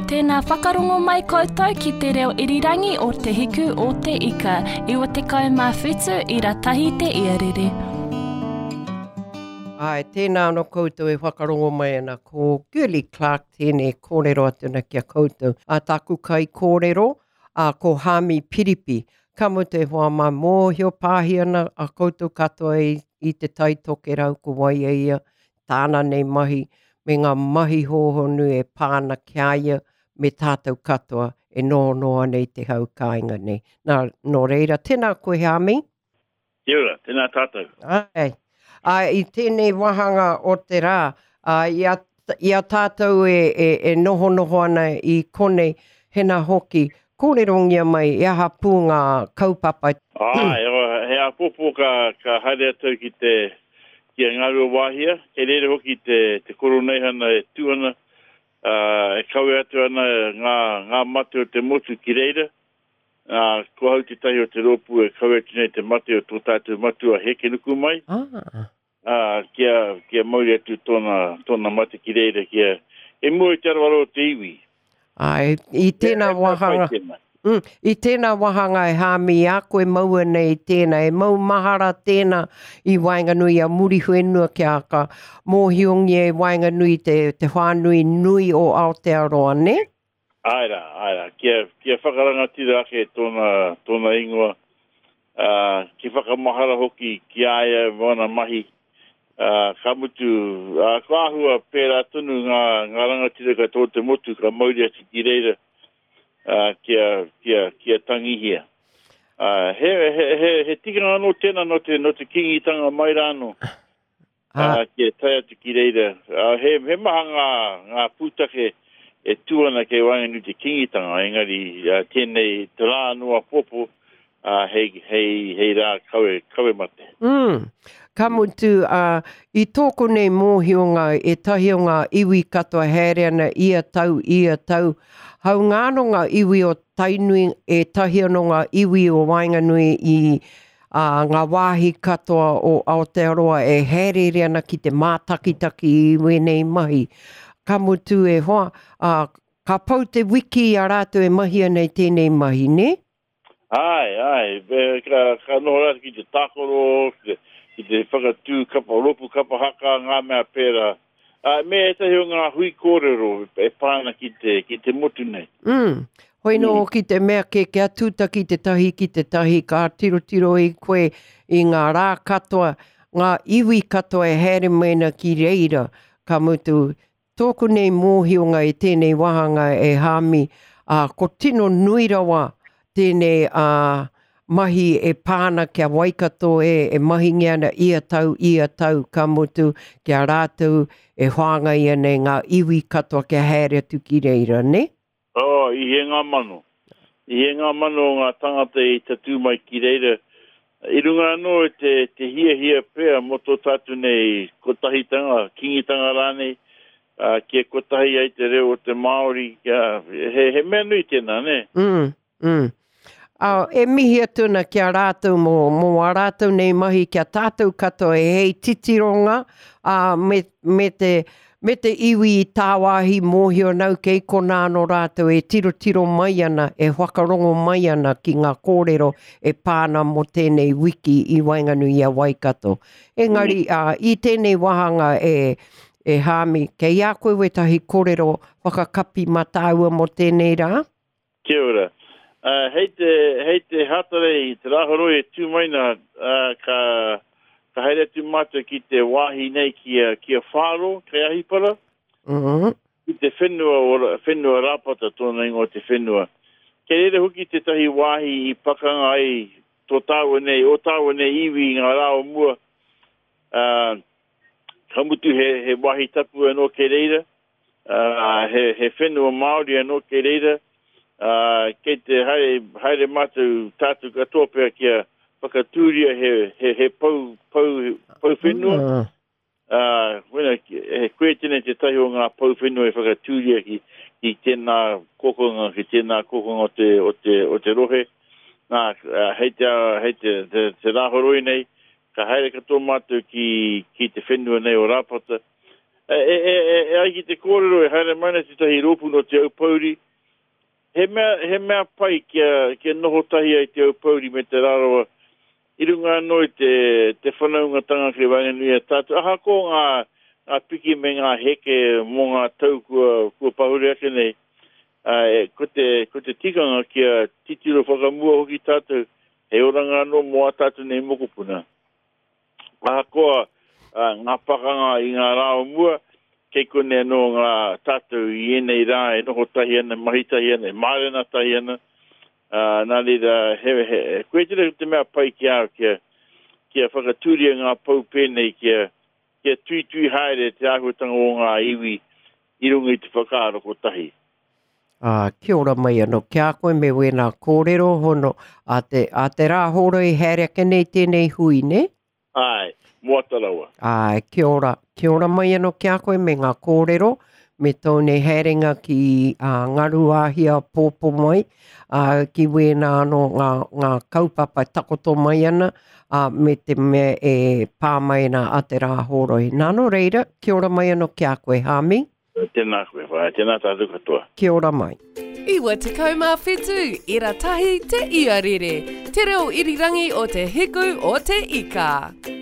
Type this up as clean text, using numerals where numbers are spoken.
Tēnā whakarongo mai koutou ki te reo irirangi o Te Hiku o Te Ika, 97 ira tahi te iarere. Āe, tēnā anō koutou e whakarongo mai ana, ko Girlie Clarke tēnei e kōrero atu ana ki a koutou. Ā tāku kaikōrero, ā, ko Haami Piripi. Ka mutu e hoa mā, mōhio pāhi ana a koutou katoa i, i Te Tai Tokerau ko wai a ia, tāna nei mahi me ngā mahi hōhonu e pā ana ki a ia me tātou katoa e nohonoho ana i te hau kāinga nei. Nā, nō reira, tēnā koe Hami. Kia ora, tēnā tātou. Āe. Ā, i tēnei wāhanga o te rā, ā, i a, i a tātou e, e, e nohonoho ana i konei, hena hoki, kōrerongia mai e aha pū ngā kaupapa. Āe, he āpōpō ka, ka haere atu au ki te, ki a Ngāruawāhia, kei reira hoki te, te koroneihana e tū ana, ā, e kawe atu ana ngā, ngā mate o te motu ki reira. Ā, ko ahau tētahi o te rōpū e kawe atu nei te mate o tō tātou matua Hekenukumai. Ah. Ā, kia, kia mauri atu tōna, tōna mate ki reira, kia, i mua i te aroaro o te iwi. Āe, i tēnā wāhanga, mm, i tēnā wāhanga e Hāmi i a koe maua nei tēnā, e mau mahara tēnā i waenganui i a Muriwhenua kia ka mōhiongia i waenganui te, te whānui nui o Aotearoa, nē? Āe rā, āe rā, kia, kia whakarangatira ake tōna, tōna ingoa, ā, kia whakamahara hoki ki a ia me āna mahi, ā, ka mutu, ā, kua āhua pērā tonu ngā, ngā rangatira katoa o te motu ka mauri atu ki reira, ā, kia, kia, kia tangihia. Ā, he, he, he, he tikanga anō tēnā nō te, nō te Kīngitanga mai rā anō, ā, kia tae atu ki reira. Ā, he, he maha ngā, ngā pūtake e tū ana kei waenganui i te Kīngitanga, engari, ā, tēnei, te rā anō āpōpō, ā, hei, hei, hei rā kawe, kawe mate. Mm. Ka mutu, ā, i tōku nei mōhionga, ētahi o ngā iwi katoa haere ana ia tau, ia tau, hāunga anō ngā iwi o Tainui, ētahi anō ngā iwi o waenganui i, ā, ngā wāhi katoa o Aotearoa e hāereere ana ki te mātakitaki i wēnei mahi. Ka mutu e hoa, ā, ka pau te wiki i a rātou e mahi ana i tēnei mahi, nē? Āe, āe, ka, ka noho rātou ki te tākaro, ki te, ki te whakatū kapa, rōpū kapa haka, ngā mea pērā. Āe, me ētahi o ngā hui kōrero e pā ana ki te, ki te motu nei. Mm. Hoi nō mm. ki te mea kē kia tūtaki te tahi ki te tahi, ka tirotiro i koe i ngā rā katoa, ngā iwi katoa e haere mai ana ki reira, ka mutu, Tōku nei mōhionga i tēnei wāhanga e Hāmi, ā, ko tino nui rawa tēnei ā, mahi e pā ana ki a Waikato e, e mahingia ana ia tau, ia tau, ka mutu, ki a rātou e whāngai ana i ngā iwi katoa kia haere atu ki reira, nē? Oh, i he ngā mano. I he ngā mano o ngā tangata i tatū mai ki reira. I runga anō i te, te hiahia pea mō tō tātou nei kotahitanga, kīngitanga rānei, ā, kia kotahi ai te reo o te Māori, kia, he, he mea nui tēnā, nē? Mm, mm. Ā, e mihi atu ana ki a rātou mō, mō ā rātou nei mahi ki a tātou katoa e hei titironga, ā, me, me te, me te iwi i tāwāhi mōhio nau kei konā anō rātou e tirotiro mai ana, e whakarongo mai ana ki ngā kōrero e pā ana mō tēnei wiki i waenganui i a Waikato. Engari, ā, i tēnei wāhanga e, e Hāmi, kei a koe wētahi kōrero whakakapi mā tāua mō tēnei rā? Kia ora. Uh, hei te, hei te Hātarei, te Rāhoroi e tū mai nā, uh, ka, ka haere atu mātou ki te wāhi nei ki a, ki a Whāro, kei Ahipara. Mm -hmm. Ki te whenua, o, whenua Rāpata tōna ingoa te whenua. Kei reira hoki tētahi wāhi i pakanga ai tō tāua nei, ō tāua nei iwi i ngā rā o mua. Uh, ka mutu he, he wāhi tapu anō kei reira. Ā, he, he whenua Māori anō kei reira, ā, kei te haere, haere mātou, tātou katoa pea kia whakatūria he, he, he pou, pou, pou whenua. Ah. Ā, wena, he koe tēnei tētahi o ngā pou whenua e whakatūria ki, ki tēnā kokonga, ki tēnā kokonga o te, o te, o te rohe. Nā, hei te, hei te, te, te rāhoroi nei, ka haere katoa mātou ki, ki te whenua nei o Rāpata. E, e, e, e, e ai ki te kōrero e haere mai ana tētahi rōpū nō Te Aupōuri, he mea, he mea pai kia, kia noho tahi ai Te Aupōuri me Te Rarawa i runga anō i te, te whanaungatanga kei waenganui i a tātou, ahakoa ngā, ngā piki me ngā heke mō ngā tau kua, kua pahure ake nei, ā, e, ko te, ko te tikanga kia titiro whakamua hoki tātou, hei oranga anō mō ā tātou nei mokopuna. Ahakoa ngā pakanga i ngā rā o mua, kei konei anō ngā tātou i ēnei rā e noho tahi ana, e mahi tahi ana, e mārena tahi ana. Ā, nā reira, he, he, koia tērā te mea pai ki a au kia, kia whakatūria ngā pou pēnei, kia, kia tuitui haere te āhuatanga o ngā iwi i runga i te whakaaro kotahi. Ā, kia ora mai anō ki a koe me wēnā kōrero hono a te, a te rā hōroi haere ake nei tēnei hui, nē? Āe, moata rawa. Āe, kia ora, kia ora mai anō ki a koe me ngā kōrero, me tōu nei haerenga ki a Ngaruāhia pōpō mai, ā, ki wēnā anō ngā, ngā kaupapa e takoto mai ana, ā, me te mea e pā mai ana a te rā hōroi. Nā, nō reira, kia ora mai anō ki a koe, Hāmi. Tēnā koe, whaea, tēnā tātou katoa. Kia ora mai. 97 ira tahi te iarere, te reo irirangi o te hiku o te ika.